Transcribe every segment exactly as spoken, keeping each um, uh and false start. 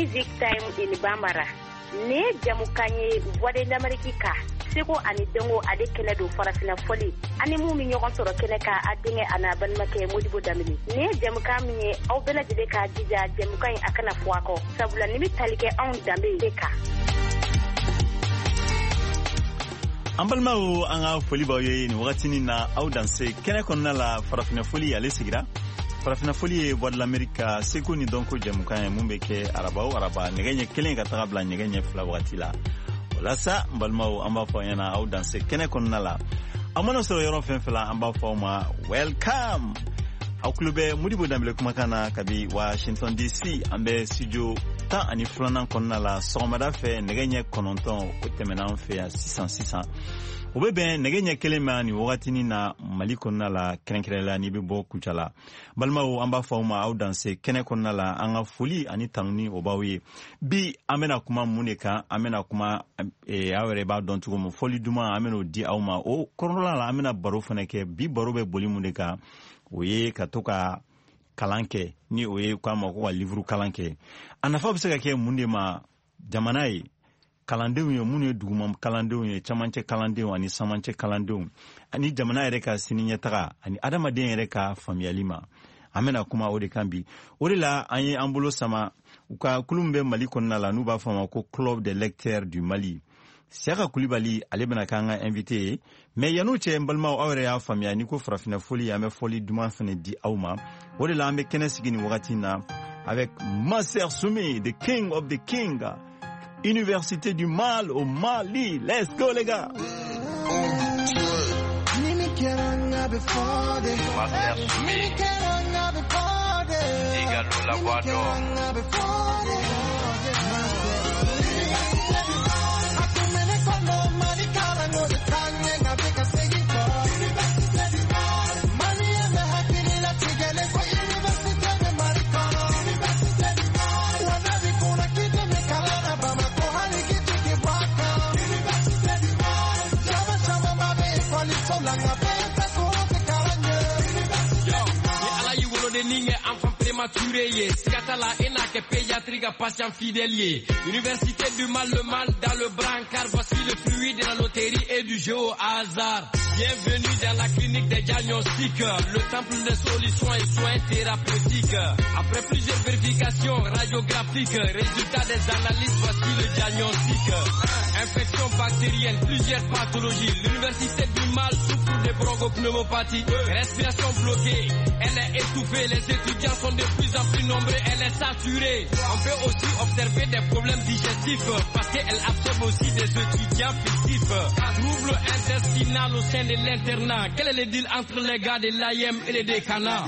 Music Time in Bambara. Nin ye jamukan ye Voix de l'Amérique ka seko ani dɔnko ale kɛnɛ don farafina fɔli ani mun bɛ ɲɔgɔn sɔrɔ kɛnɛ kan a denkɛ a n'a balimakɛ Modibo Danbele. Nin ye jamukan min ye aw bɛɛ lajɛlen k'a jija jamukan in a kana fɔ a kɔ sabula nin bɛ tali kɛ anw danbe de kan. An balimaw, an ka foli b'aw ye nin wagatinin na. Aw danse kɛnɛ kɔnɔna la, farafinna foli ale sigira. Farafinna foli ye Voix de l'Amérique ka seko ni dɔnko jɛmukan ye mun bɛ kɛ araba o araba nɛgɛ ɲɛ kelen ka taga bila nɛgɛ ɲɛ fila wagati la. O la sa, n balimaw, an b'a fɔ aw ɲɛna aw danse kɛnɛ kɔnɔna la. Aw mana sɔrɔ yɔrɔ fɛn fɛn la, an b'a fɔ aw ma welcome. Aw tulo bɛ Modibo Danbele kumakan na kabi Washington D C. An bɛ studio tan ani filanan kɔnɔna la. Sɔgɔmada fɛ nɛgɛ ɲɛ kɔnɔntɔn o tɛmɛna an fɛ yan sisan sisan, o bɛ bɛn nɛgɛ ɲɛ kelen ma nin wagatinin na Mali kɔnɔna la, kɛrɛnkɛrɛnnenya n'i bɛ bɔ Kucala. Balimaw, an b'a fɔ aw ma aw danse kɛnɛ kɔnɔna la. An ka foli ani tanuni o b'aw ye. Bi an bɛna kuma mun de kan? An bɛna kuma, aw yɛrɛ b'a dɔn cogo min, fɔli duman an bɛn'o di aw ma. O kɔnɔna la, an bɛna baro fana kɛ. Bi baro bɛ boli mun de kan? O ye ka to ka kalan kɛ, ni o ye k'a ma ko ka livre kalan kɛ. A nafa bɛ se ka kɛ mun de ma jamana ye, kalandenw ye minnu ye duguma kalandenw ye, camancɛ kalandenw ani samancɛ kalandenw, ani jamana yɛrɛ ka sini ɲɛtaga ani adamaden yɛrɛ ka faamuyali ma? An bɛna kuma o de kan bi. O de la an ye an bolo sama u ka kulu min bɛ Mali kɔnɔna la, n'u b'a fɔ a ma ko Club des lecteurs du Mali. Siyaka Kulibali, ale bɛna k'an ka invité ye. Mais yan'o cɛ, n balimaw, aw yɛrɛ y'a faamuya n'i ko farafinna foli, an bɛ fɔli duman fana di aw ma. O de la an bɛ kɛnɛ sigi nin wagati in na avec Master Soumi, the king of the king, Université du Mal au Mali. Let's go les gars. Master Soumi, Igalo la voix d'or. Prématuré ye siga t'a la e n'a kɛ pédiatrie ka patient fidèle ye. Université du mal, le mal dans le brancard, voici le fruit de la loterie et du jeu au hasard. Bienvenue dans la clinique des diagnostics, le temple des solutions et soins thérapeutiques. Après plusieurs vérifications radiographiques, résultat des analyses, voici le diagnostic. Infection bactérienne, plusieurs pathologies. L'université du mal souffre de bronchopneumopathie. Respiration bloquée, elle est étouffée. Les étudiants sont de plus en plus nombreux, elle est saturée. On peut aussi observer des problèmes digestifs parce qu'elle absorbe aussi des étudiants fictifs. Trouble intestinal au sein de l'internat. Quel est le deal entre les gars de l'A I M et les décanats?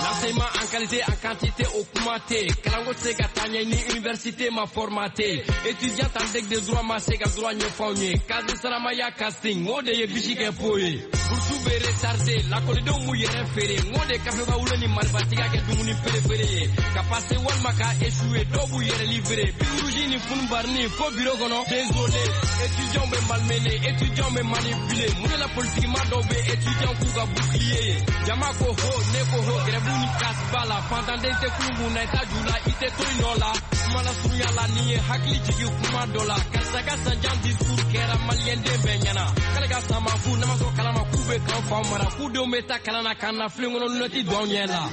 L'enseignement en qualité, en quantité o kuma tɛ. Kalanko tɛ se ka taa ɲɛ ni université ma formaté. Étudiant en deck de droit ma se ka droit ɲɛfɔ anw ye. Kazi saramaya casting o de ye bisi kɛ po ye. Bourse bɛ retardé, lakɔlidenw b'u yɛrɛ feere. N ko de kafeba wolo ni maribatiga kɛ dumuni perefere ye. Ka passer walima ka échouer, dɔw b'u yɛrɛ livrer. Birouji ni funubarini fo bureau kɔnɔ. Désolé, étudiants bɛ malmené, étudiants bɛ manipuler. Mun de la politique ma dɔw bɛ étudiants k'u ka bouclier ye? Jama ko ho, ne ko ho, grève ni casse ba la. Fantanden tɛ kulu mun na i ta ju la, i tɛ to i nɔ la. Kuma la surunya la, nin ye hakili jigin kuma dɔ la. Karisa ka sanjan discours kɛra maliyɛnden bɛɛ ɲɛna. K'ale ka san ma fu, n'a ma sɔn kalama k'u bɛ k'an faw mara. K'u denw bɛ taa kalan na k'an na filen kɔnɔ lunɛti don anw ɲɛ la.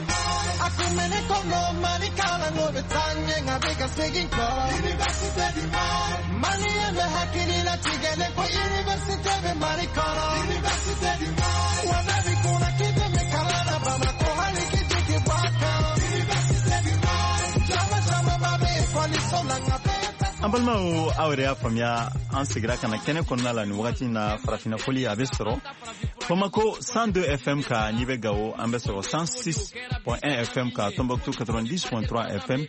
A kun bɛ ne kɔnɔ Mali kalanko bɛ taa ɲɛ nka bɛ ka segin kɔ. Université du Mali. Maliyɛn bɛ hakili latigɛlen ko université bɛ Mali kɔnɔ. Université du Mali. Wa bɛɛ b'i kunna k'i tɛ kalan na Bamakɔ hali k'i jigi bɔ a kan. Université du Mali. Jama camanba bɛ ekɔliso la nka bɛɛ tɛ. An balimaw, aw yɛrɛ y'a faamuya, an segira ka na kɛnɛ kɔnɔna la nin wagati in na. Farafinna foli a bɛ sɔrɔ. Bamako cent deux F M kan, n'i bɛ Gawo an bɛ sɔrɔ cent six point un F M kan, Tombouctou quatre-vingt-dix point trois F M,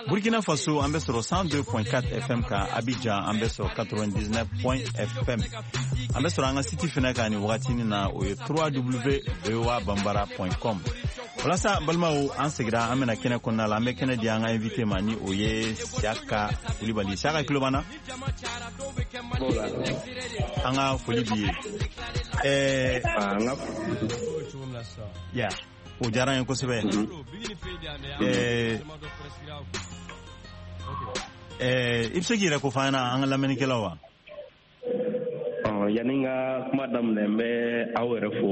Burkina Faso an bɛ sɔrɔ cent deux point quatre F M kan, Abidjan an bɛ sɔrɔ quatre-vingt-dix-neuf point F M. An bɛ sɔrɔ an ka site fɛnɛ kan nin wagatinin na, o ye w w w point v o a bambara point com. Walasa balimaw, an segira an bɛna kɛnɛ kɔnɔna la, an bɛ kɛnɛ di an ka invité ma ni o ye Siaka Kulibali. Siaka, tulo b'an na? An ka foli b'i ye. Ɛɛ ya, o diyara an ye kosɛbɛ. Ɛɛ ɛɛ i bɛ se k'i yɛrɛ ko fɔ an ɲɛna, an ka lamɛnnikɛlaw wa? Yanni n ka kuma daminɛ, n bɛ aw yɛrɛ fo.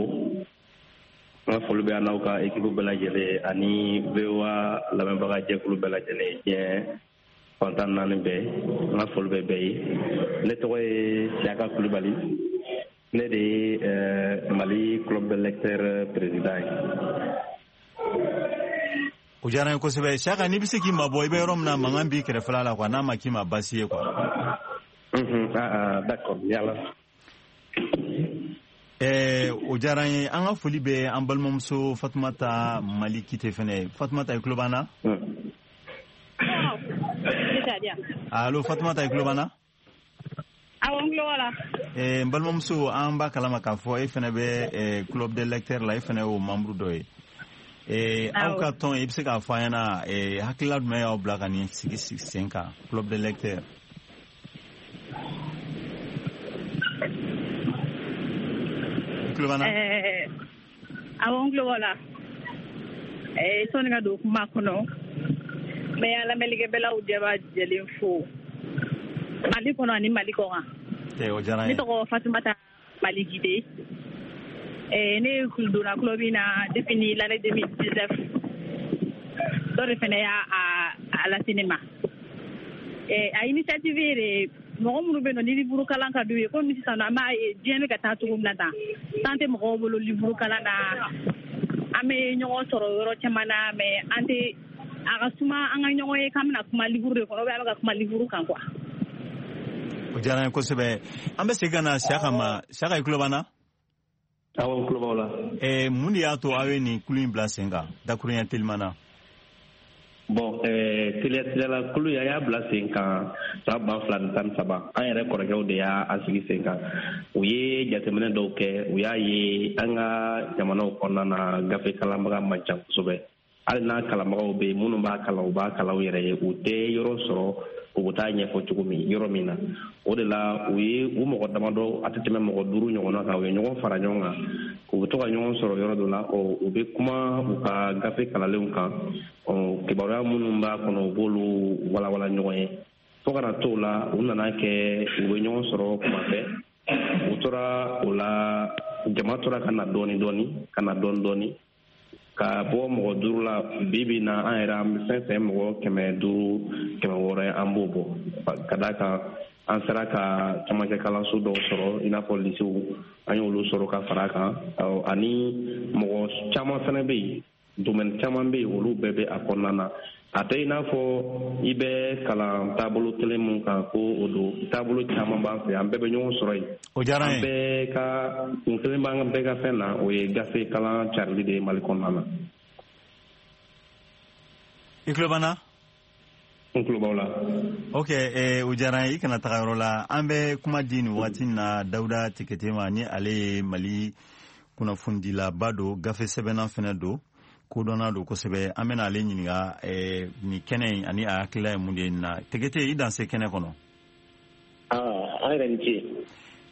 N ka foli bɛ an n'aw ka équipe bɛɛ lajɛlen ani V O A lamɛnbaga jɛkulu bɛɛ lajɛlen diɲɛ fan tan naani bɛɛ. N ka foli bɛ bɛɛ ye. Ne tɔgɔ ye Siaka Kulibali, ne de ye Mali Club de lecteurs président ye. O diyara n ye kosɛbɛ. Siaka, n'i bɛ se k'i mabɔ i bɛ yɔrɔ min na, mankan b'i kɛrɛfɛla la quoi, n'a ma k'i ma baasi ye quoi. Unhun, ah d'accord, yala. Eh, o diyara n ye. An ka foli bɛ an balimamuso Fatumata Mali Kite fɛnɛ. Fatumata, i tulo b'an na? Allo, Fatumata, i tulo b'an na? Awɔ, n tulo b'a la. Eh, n balimamuso, an b'a kalama k'a fɔ e fɛnɛ bɛ club des lecteurs la, e fɛnɛ y'o membre dɔ ye. Eh, aw ka tɔn, i bɛ se k'a fɔ an ɲɛna eh, hakilila jumɛn y'aw bila ka nin sigi sen kan, club des lecteurs? Eh, awɔ, n tulo b'aw la. Eh, sɔnni ka don kuma kɔnɔ, n bɛ an lamɛnnikɛbɛlaw jɛba jɛlen fo Mali kɔnɔ ani Mali kɔkan. O diyara n ye. Ne tɔgɔ Fatumata Mali Gide. Eh, ne donna club in na depuis ni l'année deux mille dix-neuf. Dɔ de fɛnɛ y'a a lase ne ma. Eh, a initiative yɛrɛ, mɔgɔ minnu bɛ yen nɔ ni livre kalan ka d'u ye, komi sisan nɔ an b'a ye diɲɛ bɛ ka taa cogo min na tan, tan tɛ mɔgɔw bolo livre kalan na. An bɛ ɲɔgɔn sɔrɔ yɔrɔ caman na, mais an tɛ a ka suma an ka ɲɔgɔn ye k'an bɛna kuma livre de kɔnɔ, ou bien an bɛ ka kuma livre kan quoi. O diyara n ye kosɛbɛ. An bɛ segin ka na Siaka ma. Siaka, i tulo b'an na? Awɔ, n tulo b'aw la. Ɛɛ, mun de y'a to aw ye nin kulu in bila sen kan, dakuruɲɛ teliman na? Bon, eh, teliya teliyala, kulu an y'a bila sen kan san ba fila ni tan ni saba. An yɛrɛ kɔrɔkɛw de y'a sigi sen kan. U ye jateminɛ dɔw kɛ, u y'a ye an ka jamanaw kɔnɔna na gafe kalanbaga man ca kosɛbɛ. Hali n'a kalanbagaw bɛ yen, minnu b'a kalan, u b'a kalan u yɛrɛ ye, u tɛ yɔrɔ sɔrɔ u bɛ taa ɲɛfɔ cogo min yɔrɔ min na. O de la u ye u mɔgɔ damadɔ, a tɛ tɛmɛ mɔgɔ duuru ɲɔgɔnna kan, u ye ɲɔgɔn fara ɲɔgɔn kan, u bɛ to ka ɲɔgɔn sɔrɔ yɔrɔ dɔ la, u bɛ kuma u ka gafe kalanlenw kan, kibaruya minnu b'a kɔnɔ, u b'olu walawala ɲɔgɔn ye. Fo ka na t'o la, u nana kɛ u bɛ ɲɔgɔn sɔrɔ kuma bɛɛ. U tora o la, jama tora ka na dɔɔni dɔɔni, ka na dɔɔni dɔɔni, ka bɔ mɔgɔ duuru la. Bi bi na, an yɛrɛ an bɛ fɛn fɛn mɔgɔ kɛmɛ duuru, kɛmɛ wɔɔrɔ ye, an b'o bɔ. Ka d'a kan an sera ka camancɛ kalanso dɔw sɔrɔ, i n'a fɔ lisew, an y'olu sɔrɔ ka fara a kan. Ani mɔgɔ caman fɛnɛ bɛ yen, domaine caman bɛ yen, olu bɛɛ bɛ a kɔnɔna na. A tɛ i n'a fɔ i bɛ kalan taabolo kelen mun kan ko o don, taabolo caman b'an fɛ, an bɛɛ bɛ ɲɔgɔn sɔrɔ yen. O diyara n ye. An bɛɛ ka kun kelen b'an bɛɛ ka fɛn na, o ye gafe kalan carili de ye Mali kɔnɔna na. I tulo b'an na? N tulo b'aw la. Ok, eh, o diyara n ye. I kana taga yɔrɔ la. An bɛ kuma di nin waati in na Dawuda Tekete ma, ni ale ye Mali kunnafonidilaba don, gafe sɛbɛnna fɛnɛ don, kodɔnna don kosɛbɛ. An bɛna ale ɲininka eh, nin kɛnɛ in ani a hakilila ye mun de ye nin na. Tekete, i danse kɛnɛ kɔnɔ. Ah, an yɛrɛ ni ce.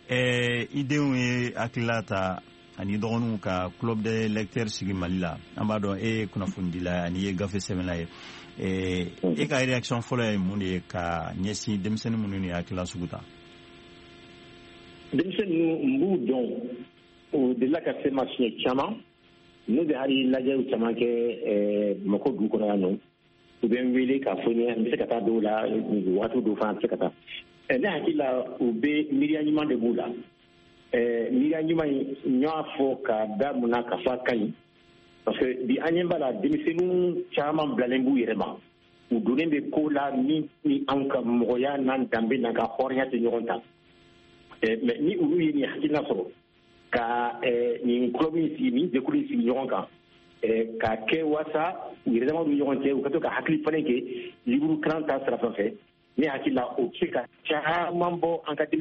Eh, i denw ye hakilila ta ani dɔgɔninw ka club des lecteurs sigi Mali la. An b'a dɔn e ye kunnafonidila ye ani i ye gafe sɛbɛnna ye. Eh, e ka réaction fɔlɔ ye mun de ye ka ɲɛsin denmisɛnnin minnu ye hakilila sugu ta? Denmisɛnnin ninnu, n b'u dɔn, u delila ka se ma siɲɛ caman. N'u bɛ hali lajɛw caman kɛ Bamakɔ dugu kɔnɔ yan nɔ, u bɛ n wele k'a fɔ n ye n bɛ se ka taa dɔw la, waati dɔw fana bɛ se ka taa. Ne hakili la, u bɛ miiriya ɲuman de b'u la. Miiriya ɲuman in, n y'a fɔ ka da mun na k'a fɔ a ka ɲi, parce que bi an ɲɛ b'a la, denmisɛnninw caman bilalen b'u yɛrɛ ma, u donnen bɛ ko la min ni anw ka mɔgɔya n'an danbe n'an ka hɔrɔnya tɛ ɲɔgɔn ta. Mais ni olu ye nin hakilina sɔrɔ, Ka nin club in sigi, nin jɛkulu in sigi ɲɔgɔn kan, k'a kɛ waasa u yɛrɛ damaw ni ɲɔgɔn cɛ, u ka to ka hakili falen kɛ livre kalan ta sira fɛ, ne hakili la, o bɛ se ka caman bɔ an ka denmisɛnninw